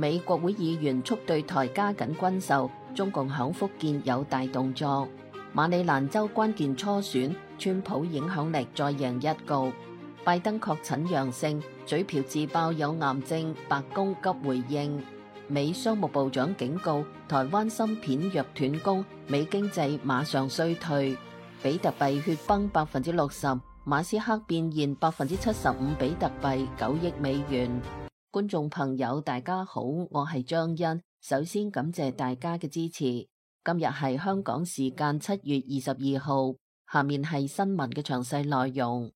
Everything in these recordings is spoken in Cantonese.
美國會議員促對台加緊軍售，中共響福建有大動作。馬里蘭州關鍵初選，川普影響力再贏一局。拜登確診陽性，嘴瓢自爆有癌症，白宮急回應。美商務部長警告，台灣芯片若斷供，美經濟馬上衰退。比特幣血崩60%，馬斯克變現75%比特幣9億美元。觀眾朋友大家好，我係張欣，首先感謝大家嘅支持。今日係香港時間7月22號，下面係新聞嘅詳細內容。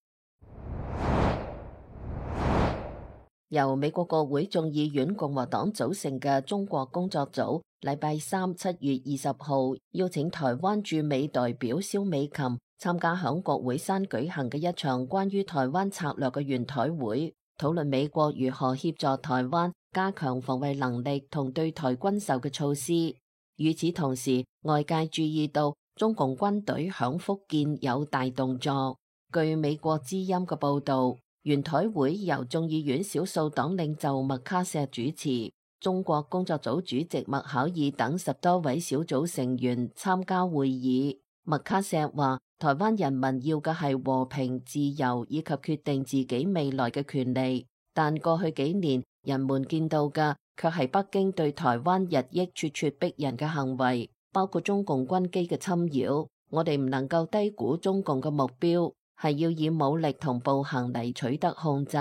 由美國國會眾議院共和黨組成嘅中國工作組，禮拜三7月20號邀請台灣駐美代表蕭美琴參加響國會山舉行嘅一場關於台灣策略嘅圓台會，討論美國如何協助台灣加強防衛能力同對台軍售嘅措施。與此同時，外界注意到中共軍隊響福建有大動作。據美國之音嘅報道，圓台會由眾議院少數黨領袖麥卡錫主持，中國工作組主席麥考爾等10多位小組成員參加會議。麥卡錫話，台灣人民要嘅係和平、自由以及決定自己未來嘅權利，但過去幾年人們見到嘅卻係北京對台灣日益咄咄逼人嘅行為，包括中共軍機嘅侵擾。我哋唔能夠低估中共嘅目標，係要以武力同暴行嚟取得控制。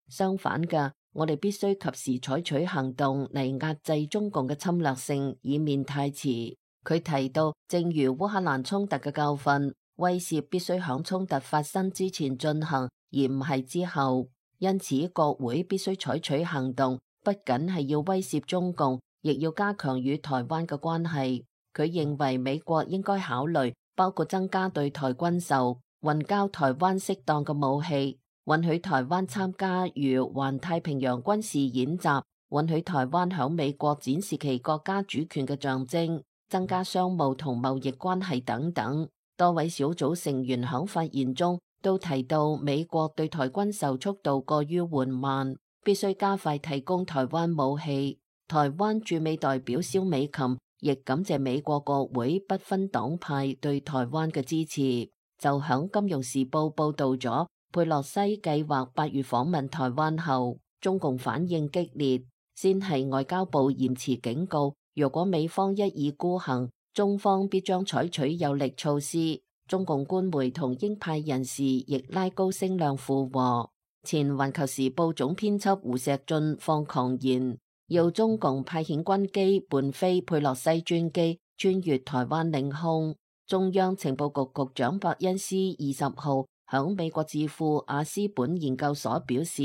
相反嘅，我哋必須及時採取行動嚟壓制中共嘅侵略性，以免太遲。佢提到，正如烏克蘭衝突嘅教訓，威懾必須響衝突發生之前進行，而唔係之後。因此，國會必須採取行動，不僅係要威懾中共，亦要加強與台灣嘅關係。佢認為美國應該考慮包括增加對台軍售、運交台灣適當嘅武器、允許台灣參加如環太平洋軍事演習、允許台灣響美國展示其國家主權嘅象徵、增加商務同貿易關係等等。多位小組成員響發言中都提到，美國對台軍售速度過於緩慢，必須加快提供台灣武器。台灣駐美代表蕭美琴亦感謝美國國會不分黨派對台灣嘅支持。就響《金融時報》報道咗，佩洛西計劃8月訪問台灣後，中共反應激烈，先係外交部嚴詞警告，若果美方一意孤行，中方必將採取有力措施。中共官媒同鷹派人士亦拉高聲量附和。前《環球時報》總編輯胡錫進放狂言，要中共派遣軍機伴飛佩洛西專機穿越台灣領空。中央情報局局長伯恩斯20號響美國智庫亞斯本研究所表示，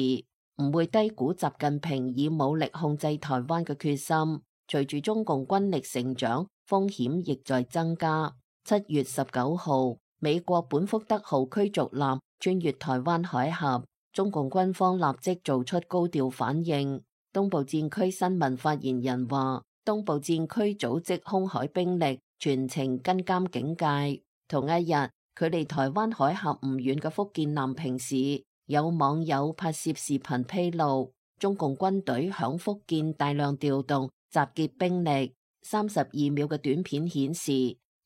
唔會低估習近平以武力控制台灣嘅決心。隨住中共軍力成長，風險亦在增加。7月19號，美國本福德號驅逐艦穿越台灣海峽，中共軍方立即做出高調反應。東部戰區新聞發言人話，東部戰區組織空海兵力全程跟監警戒。同一日，距離台灣海峽唔遠嘅福建南平市，有網友拍攝視頻披露，中共軍隊響福建大量調動集結兵力。32秒嘅短片顯示，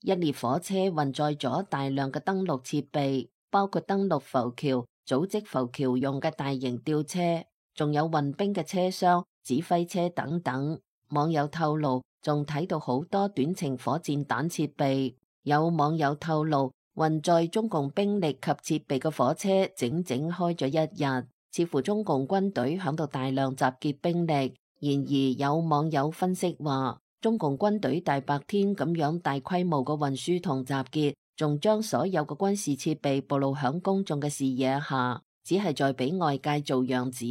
一列火車運載咗大量嘅登陸設備，包括登陸浮橋、組織浮橋用嘅大型吊車，仲有運兵嘅車廂、指揮車等等。網友透露，仲睇到好多短程火箭彈設備。有網友透露，運載中共兵力及設備嘅火車整整開咗一日，似乎中共軍隊響度大量集結兵力。然而有網友分析話，中共軍隊大白天咁樣大規模嘅運輸同集結，仲將所有嘅軍事設備暴露響公眾嘅視野下，只係在俾外界做樣子，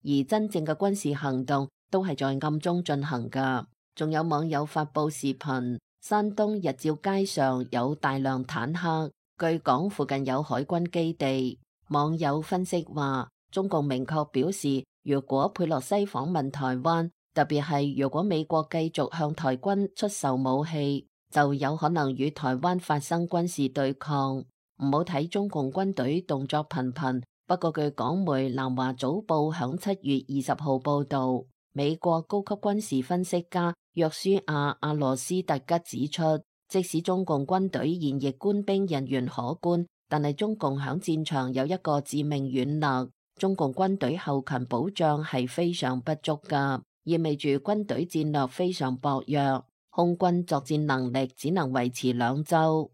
而真正嘅軍事行動都係在暗中進行㗎。仲有網友發佈視頻，山東日照街上有大量坦克，據講附近有海軍基地。網友分析話，中共明確表示，如果佩洛西訪問台灣，特別係如果美國繼續向台軍出售武器，就有可能與台灣發生軍事對抗。唔好睇中共軍隊動作頻頻，不過據港媒南華早報響7月20號報道，美國高級軍事分析家約書亞·阿羅斯特吉指出，即使中共軍隊現役官兵人員可觀，但係中共響戰場有一個致命軟肋，中共軍隊後勤保障係非常不足㗎，意味住軍隊戰略非常薄弱，空軍作戰能力只能維持2週。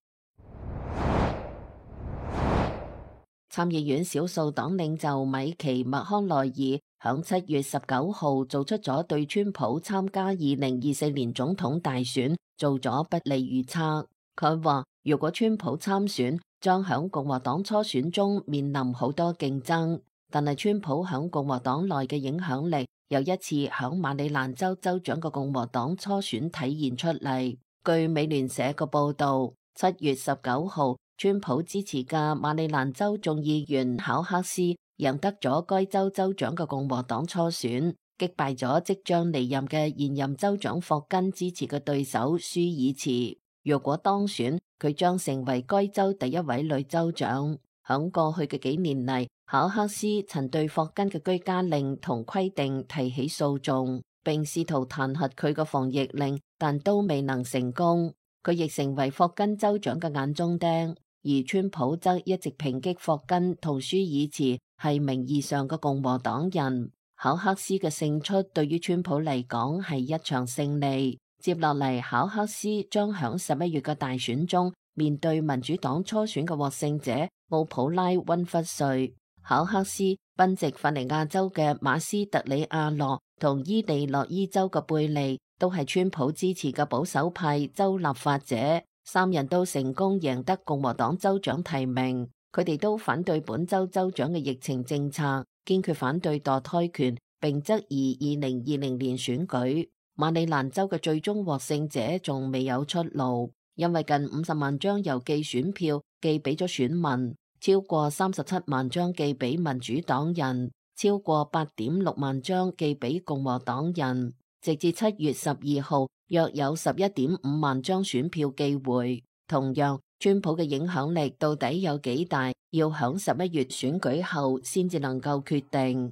參議院少數黨領袖米奇·麥康奈爾響7月19號做出咗對川普參加2024年總統大選做咗不利預測。佢話如果川普參選，將響共和黨初選中面臨好多競爭，但係川普響共和黨內嘅影響力又一次響馬里蘭州州長嘅共和黨初選體現出嚟。據美聯社嘅報道，7月19號，川普支持嘅馬里蘭州眾議員考克斯贏得咗該州州長嘅共和黨初選，擊敗咗即將離任嘅現任州長霍根支持嘅對手舒爾茨。若果當選，佢將成為該州第一位女州長。響過去嘅幾年嚟，考克斯曾對霍根嘅居家令同規定提起訴訟，並試圖彈劾佢嘅防疫令，但都未能成功。佢亦成為霍根州長嘅眼中釘。而川普則一直抨擊霍根同舒爾茨係名義上嘅共和黨人。考克斯嘅勝出對於川普嚟講係一場勝利。接落嚟，考克斯將響11月嘅大選中面對民主黨初選嘅獲勝者奧普拉溫弗瑞。考克斯賓夕法尼亞州嘅馬斯特里亞諾同伊利諾伊州嘅貝利都係川普支持嘅保守派州立法者。3人都成功贏得共和黨州長提名，佢哋都反對本州州長嘅疫情政策，堅決反對墮胎權，並質疑2020年選舉。馬里蘭州嘅最終獲勝者仲未有出爐，因為近50萬張郵寄選票寄俾咗選民，超過37萬張寄俾民主黨人，超過8.6萬張寄俾共和黨人。直至7月12號，約有11.5萬張選票寄回。同樣，川普嘅影響力到底有幾大，要響11月選舉後先至能夠決定。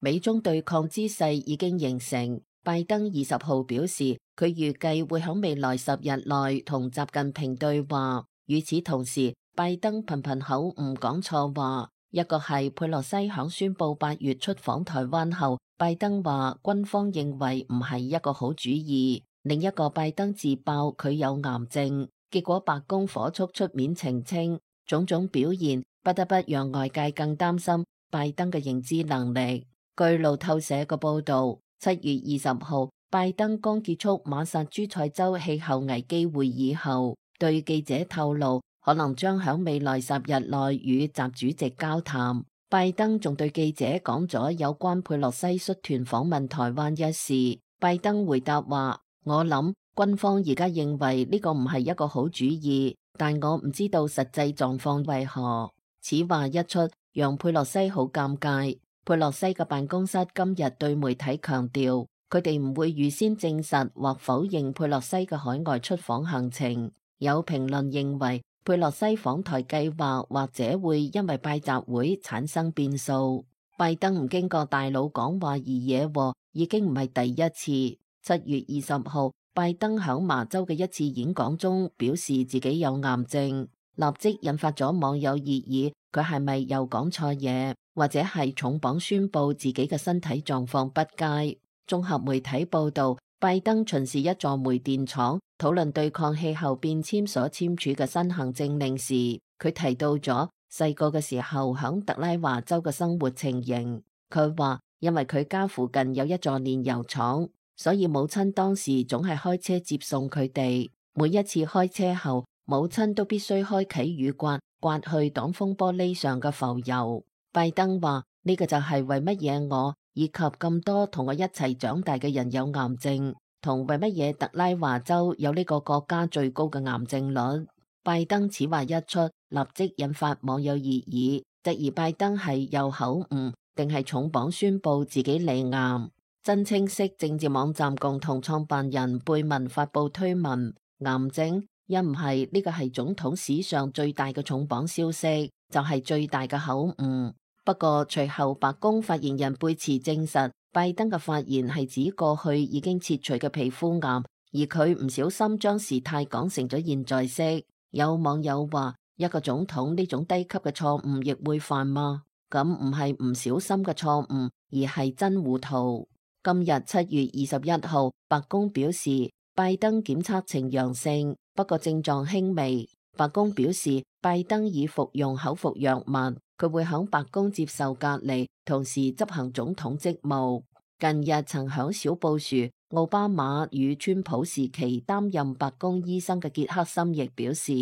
美中對抗之勢已經形成。拜登20號表示，佢預計會響未來10日內同習近平對話。與此同時，拜登頻頻口誤講錯話。一個係佩洛西響宣布8月出訪台灣後，拜登話軍方認為唔係一個好主意。另一個拜登自爆佢有癌症，結果白宮火速出面澄清，種種表現不得不讓外界更擔心拜登嘅認知能力。據路透社嘅報道，7月20號，拜登剛結束馬薩諸塞州氣候危機會議後，對記者透露，可能將響未來10日內與習主席交談。拜登仲對記者講咗有關佩洛西率團訪問台灣一事。拜登回答話：我諗軍方而家認為呢個唔係一個好主意，但我唔知道實際狀況為何。此話一出，讓佩洛西好尷尬。佩洛西嘅辦公室今日對媒體強調，佢哋唔會預先證實或否認佩洛西嘅海外出訪行程。有評論認為，佩洛西訪台計劃或者會因為拜習會產生變數。拜登唔經過大佬講話而惹禍，已經唔係第一次。7月20號，拜登響麻州嘅一次演講中表示自己有癌症，立即引發咗網友熱議，佢係咪又講錯嘢，或者係重磅宣布自己嘅身體狀況不佳。綜合媒體報道，拜登巡視一座煤電廠，討論對抗氣候變遷所簽署嘅新行政令時，佢提到咗細個嘅時候響特拉華州嘅生活情形。佢話因為佢家附近有一座煉油廠，所以母親當時總係開車接送佢哋。每一次開車後，母親都必須開啟雨刮，刮去擋風玻璃上嘅浮油。拜登話呢個就係為乜嘢我以及咁多同我一齊長大嘅人有癌症，同為乜嘢特拉華州有呢個國家最高嘅癌症率。拜登此話一出，立即引發網友熱議，質疑拜登係又口誤定係重磅宣布自己罹癌。真清晰政治網站共同創辦人貝文發布推文，癌症一唔係呢個係總統史上最大嘅重磅消息，就係最大嘅口誤。不過隨後白宮發言人貝茨證實，拜登嘅發言係指過去已經切除嘅皮膚癌，而佢唔小心將時態講成咗現在式。有網友話：一個總統呢種低級嘅錯誤亦會犯嗎？咁唔係唔小心嘅錯誤，而係真糊塗。今日7月21號，白宮表示拜登檢測呈陽性，不過症狀輕微。白宮表示拜登已服用口服藥物，佢會響白宮接受隔離，同時執行總統職務。近日曾響小布殊、奧巴馬與川普時期擔任白宮醫生嘅傑克森亦表示，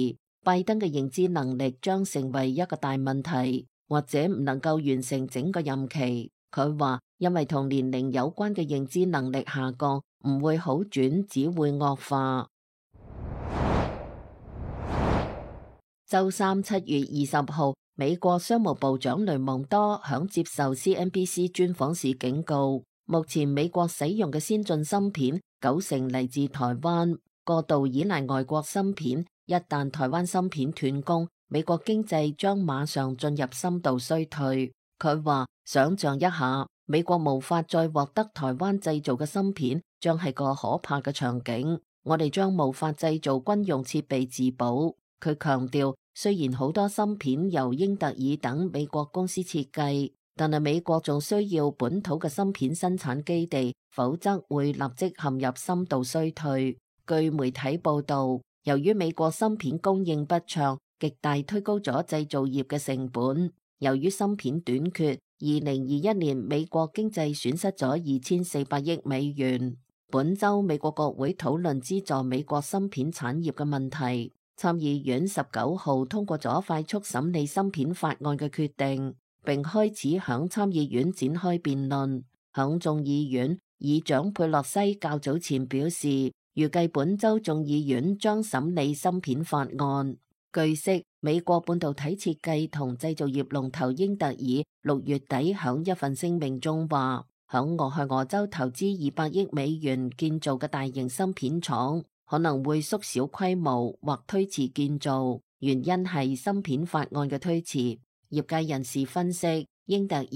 拜登嘅認知能力將成為一個大問題，或者唔能夠完成整個任期。佢話因為同年齡有關嘅認知能力下降，唔會好轉，只會惡化。周三7月20號，美國商務部長雷蒙多響接受 CNBC 專訪時警告，目前美國使用嘅先進芯片90%嚟自台灣，過度依賴外國芯片，一旦台灣芯片斷供，美國經濟將馬上進入深度衰退。佢話想象一下，美國無法再獲得台灣製造嘅芯片，將係個可怕嘅場景。我哋將無法製造軍用設備自保。佢強調，雖然好多芯片由英特爾等美國公司設計，但係美國仲需要本土嘅芯片生產基地，否則會立即陷入深度衰退。據媒體報道，由於美國芯片供應不暢，極大推高咗製造業嘅成本。由於芯片短缺，2021年美國經濟損失咗2400億美元。本週美國國會討論資助美國芯片產業嘅問題。參議院19號通過咗快速審理芯片法案嘅決定，並開始響參議院展開辯論。響眾議院，議長佩洛西較早前表示，預計本週眾議院將審理芯片法案。據悉，美國半導體設計同製造業龍頭英特爾6月底響一份聲明中話，響俄亥俄州投資200億美元建造嘅大型芯片廠可能會縮小規模或推遲建造，原因係芯片法案嘅推遲。業界人士分析，英特爾、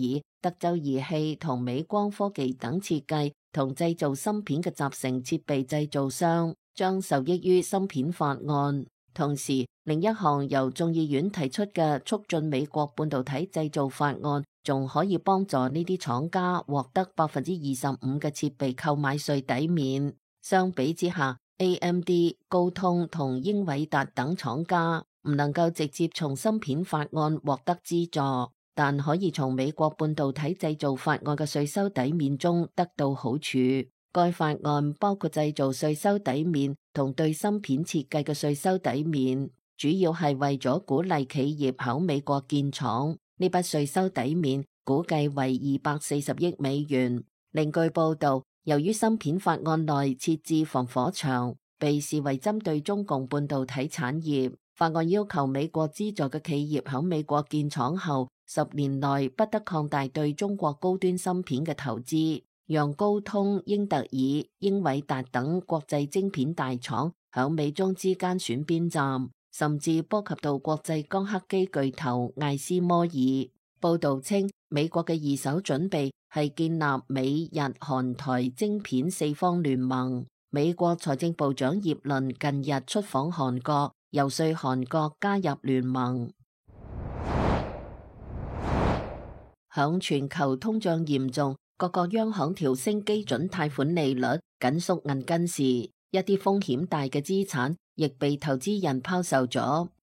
德州儀器同美光科技等設計同製造芯片嘅集成設備製造商將受益於芯片法案。同時，另一項由眾議院提出嘅促進美國半導體製造法案，仲可以幫助呢啲廠家獲得25%嘅設備購買稅抵免。相比之下，AMD、高通同英偉達等廠家唔能夠直接從芯片法案獲得資助，但可以從美國半導體製造法案嘅稅收抵免中得到好處。該法案包括製造稅收抵免同對芯片設計嘅稅收抵免，主要係為咗鼓勵企業喺美國建廠。呢筆稅收抵免估計為240億美元。另據報道，由於芯片法案內設置防火牆，被視為針對中共半導體產業。法案要求美國資助嘅企業喺美國建廠後10年內不得擴大對中國高端芯片嘅投資，讓高通、英特爾、英偉達等國際晶片大廠喺美中之間選邊站，甚至波及到國際光刻機巨頭艾斯摩爾。報道稱，美國嘅二手準備係建立美日韓台晶片4方聯盟。美國財政部長葉倫近日出訪韓國，遊說韓國加入聯盟。響全球通脹嚴重，各個央行調升基準貸款利率，緊縮銀根時，一啲風險大嘅資產亦被投資人拋售咗。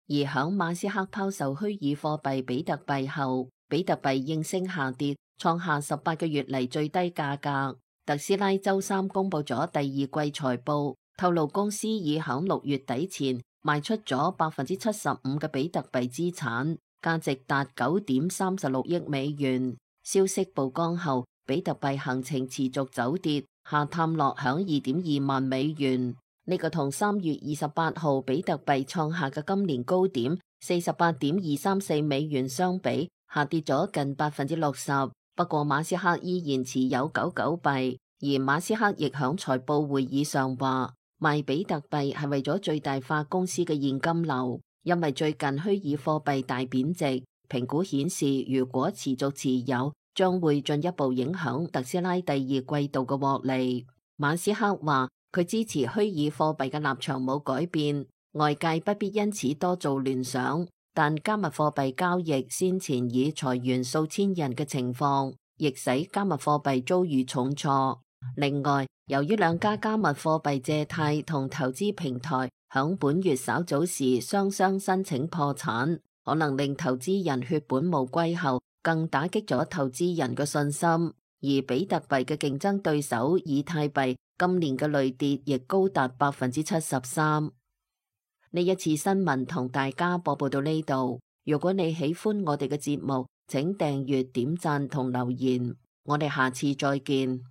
而響馬斯克拋售虛擬貨幣比特幣後，比特幣應聲下跌，創下18個月嚟最低價格。特斯拉周三公布咗第二季財報，透露公司已響6月底前賣出咗75%嘅比特幣資產，價值達9.36億美元。消息曝光後，比特幣行情持續走跌，下探落響2.2萬美元。呢個同3月28號比特幣創下嘅今年高點48.234美元相比，下跌咗近60%。不過馬斯克依然持有99幣，而馬斯克亦響財報會議上話，賣比特幣係為咗最大化公司嘅現金流，因為最近虛擬貨幣大貶值，評估顯示如果持續持有，將會進一步影響特斯拉第二季度嘅獲利。馬斯克話佢支持虛擬貨幣嘅立場冇改變，外界不必因此多做聯想。但加密貨幣交易先前已裁員數千人嘅情況，亦使加密貨幣遭遇重挫。另外，由於兩家加密貨幣借貸同投資平台響本月稍早時雙雙申請破產，可能令投資人血本無歸後，更打擊咗投資人嘅信心。而比特幣嘅競爭對手以太幣今年嘅累跌亦高達73%。呢一次新聞同大家播報到呢度。如果你喜歡我哋嘅節目，請訂閱、點讚同留言。我哋下次再見。